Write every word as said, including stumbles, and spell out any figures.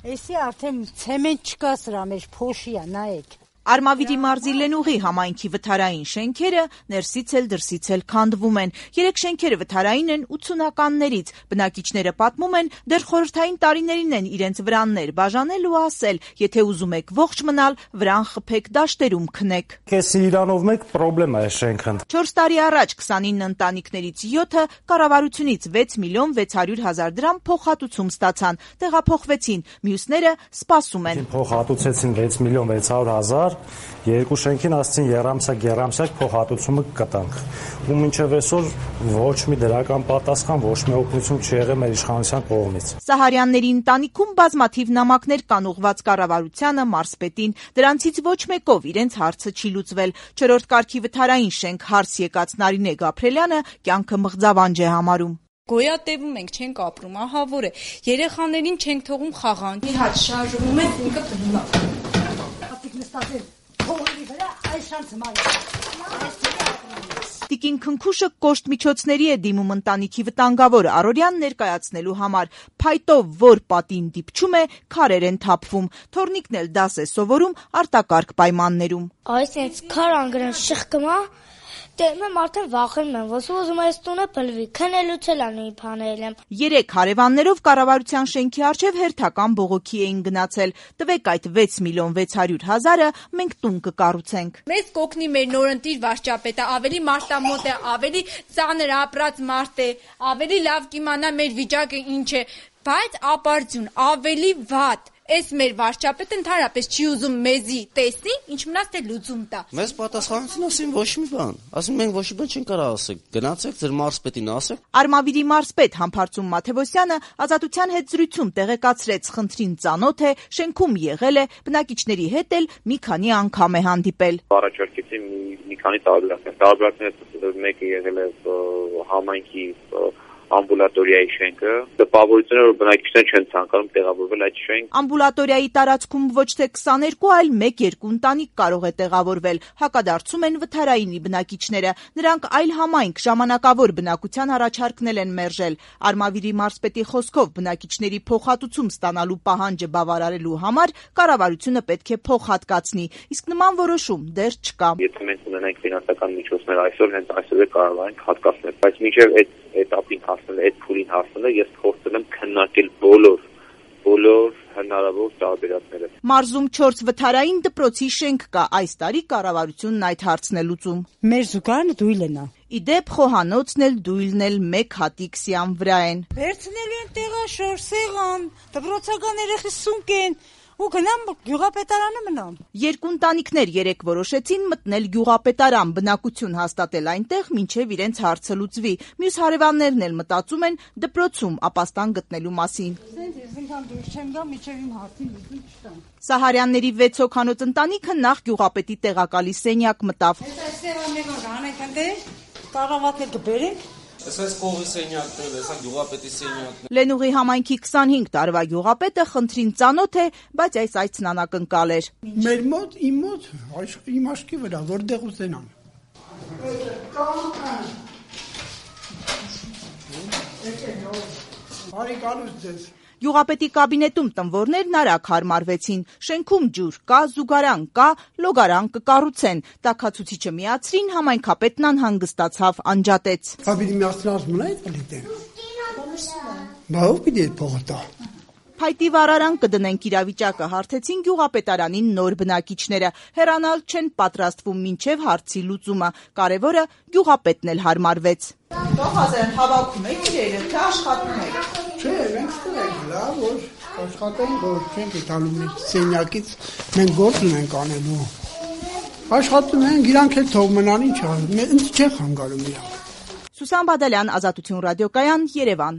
Էսի արդեն ցեմենտ չկա սրա մեջ, փոշի է, նայեք։ Արմավիրի մարզի Լենուղի համայնքի վթարային շենքերը ներսից էլ դրսից էլ քանդվում են։ Երեք շենքերը վթարային են ութսունականներից։ Բնակիչները պատմում են, դեռ խորհրդային տարիներին են իրենց վրաններ բաժանել ու ասել, եթե ուզում եք ողջ մնալ, վրան խփեք, դաշտերում քնեք։ Քեսի իրանով մեկ պրոբլեմա է շենքն։ չորս տարի առաջ քսանինը ընտանիքներից յոթը կառավարությունից վեց միլիոն վեց հարյուր հազար դրամ փոխհատուցում ստացան, տեղափոխվեցին, մյուսները սպասում են։ Փոխհատուցեցին վեց միլիոն վեց հարյուր հազար, երկու շենքին ասցին երամսակ երամսակ փոխհատուցումը կտանք։ Ու մինչև այսօր ոչ մի դրական պատասխան, ոչ մի օգնություն չի եղել մեր իշխանության կողմից։ Սահարյանների ընտանիքում բազմաթիվ նամակներ կան ուղղված կառավարությանը, մարզպետին, դրանցից ոչ մեկով իրենց հարցը չի լուծվել։ Չորրորդ կարգի վթարային շենք հարց եկած Նարինե Գաբրելյանը կյանքը մղձավանջ է համարում։ Գոյատևում ենք, չենք ապրում, ահա որ է։ Երեխաներին չենք թողում խաղան։ Մի հատ շարժվում է, ինքը տնում է։ Տիկին Քնքուշը կոշտ միջոցների է դիմում ընտանիքի վտանգավոր առօրյան ներկայացնելու համար։ Փայտով որ պատին դիպչում է, քարեր են թափվում։ Թորնիկն էլ դաս է սովորում արտակարգ պայմաններում։ Այս ինձ քար անգրան շղկմա, դեմ եմ արդեն վախենում եմ, ոսու ուզում այս տունը բլվի, քնելուց էլ անի բանել եմ։ Երեք հարևաններով կառավարության շենքի առջև հերթական բողոքի էին գնացել։ Տվեք այդ վեց միլիոն վեց հարյուր հազարը, մենք տուն կկառուցենք։ Մեզ կօգնի մեր նորընտիր վարչապետը, ավելի մարտամոտ է, ավելի ծանր ապրած մարդ է, ավելի լավ կիմանա մեր վիճակը ինչ է, բայց ապարդյուն, ավելի վատ։ Այս մեր վարչապետը ընդհանրապես չի ուզում մեզի տեսնի, ինչ մնաց թե լուծում տա։ Մեզ պատասխանեցին ասին ոչ մի բան։ Ասին մենք ոչ մի բան չենք կարող ասել։ Գնացեք ձեր մարզպետին ասեք։ Արմավիրի մարզպետ Համբարձում Մաթևոսյանը Ազատության հետ զրույցում տեղեկացրեց, խնդրին ծանոթ է, շենքում եղել է, բնակիչների հետ էլ մի քանի անգամ է հանդիպել։ Առաջարկեցի մի, մի քանի տարբերակներ։ Տարբերակներից մեկը եղել է համայնքի ամբուլատորիայի շենքը, տպավորությունը, որ բնակիչները չեն ցանկանում տեղավորվել այդ շենք։ Ամբուլատորիայի տարածքում ոչ թե քսաներկու, այլ մեկ-երկու ընտանիք կարող է տեղավորվել, հակադարձում են վթարայինի բնակիչները։ Նրանք այլ համայնք ժամանակավոր բնակության առաջարկնել են մերժել։ Արմավիրի մարզպետի խոսքով բնակիչների փոխհատուցում ստանալու պահանջը բավարարելու համար կառավարությունը պետք է փոխհատկացնի, իսկ նման որոշում դեռ չկա։ Եթե մենք ունենանք ֆինանսական միջոցներ այսօր, հենց այսօր է կարող ենք հատկացնել, բայց մինչև այդ этапին հասնել, այդ փուլին հասնելը ես փորձել եմ քննարկել բոլոր բոլոր հնարավոր տարբերակները։ Մարզում չորս վթարային դպրոցի շենք կա, այս տարի կառավարությունն այդ հարցն է լուծում։ Մեր զուգարանը դույլն է։ Իդեպ խոհանոցն էլ դույլն էլ մեկ հատիկ սիան վրա են։ Վերցնելու են տեղաշոր, սեղան, դպրոցական երեխի սունկ են։ Ու գնամ գյուղապետարանը մնամ։ Երկու ընտանիքներ երեք որոշեցին մտնել գյուղապետարան, բնակություն հաստատել այնտեղ, մինչև իրենց հարցը լուծվի։ Մյուս հարևաններն էլ մտածում են դպրոցում ապաստան գտնելու մասին։ Սահարյանների վեց հոգանոց ընտանիքը նախ գյուղապետի տեղակալի սենյակ մտավ։ Այսպես կողի սենյակներ, հեսա գյուղապետի սենյակներ։ Լենուղի համայնքի քսանհինգ տարվա գյուղապետը խնդրին ծանոթ է, բայց այս այցն անակնկալ էր։ Մեր մոտ, իմ մոտ, իմ աշկի վրա, որտեղ ուզենան։ Բարի գալուց ձեզ։ Գյուղապետի կաբինետում տնվորներն արագ հարմարվեցին։ Շենքում ջուր կա, զուգարան կա, լոգարան կկառուցեն։ Տաքացուցիչը միացրին, համայնքապետն անհանգստացավ, անջատեց։ Կաբինի միացնած մնա այդ պլիտը։ Բա ով պիտի այդ փողը տա։ Փայտի վարարան կդնենք իրավիճակը, հարթեցին գյուղապետարանին նոր բնակիչները։ Հեռանալ չեն պատրաստվում մինչև հարցի լուծումը։ Կարևորը գյուղապետն էլ հարմարվեց։ Տոհազեն հավաքում եք իրերը, թե աշխատում եք։ Չէ, մենք ստենք, լավ, որ աշխատենք, որ չենք տալու մեր սենյակից, մենք գործ ունենք անելու։ Աշխատում ենք, իրանք էլ թող մնան, ինչ ա, ինձ չեն խանգարում իրանք։ Սուսան Բադալյան, Ազատություն ռադիոկայան, Երևան։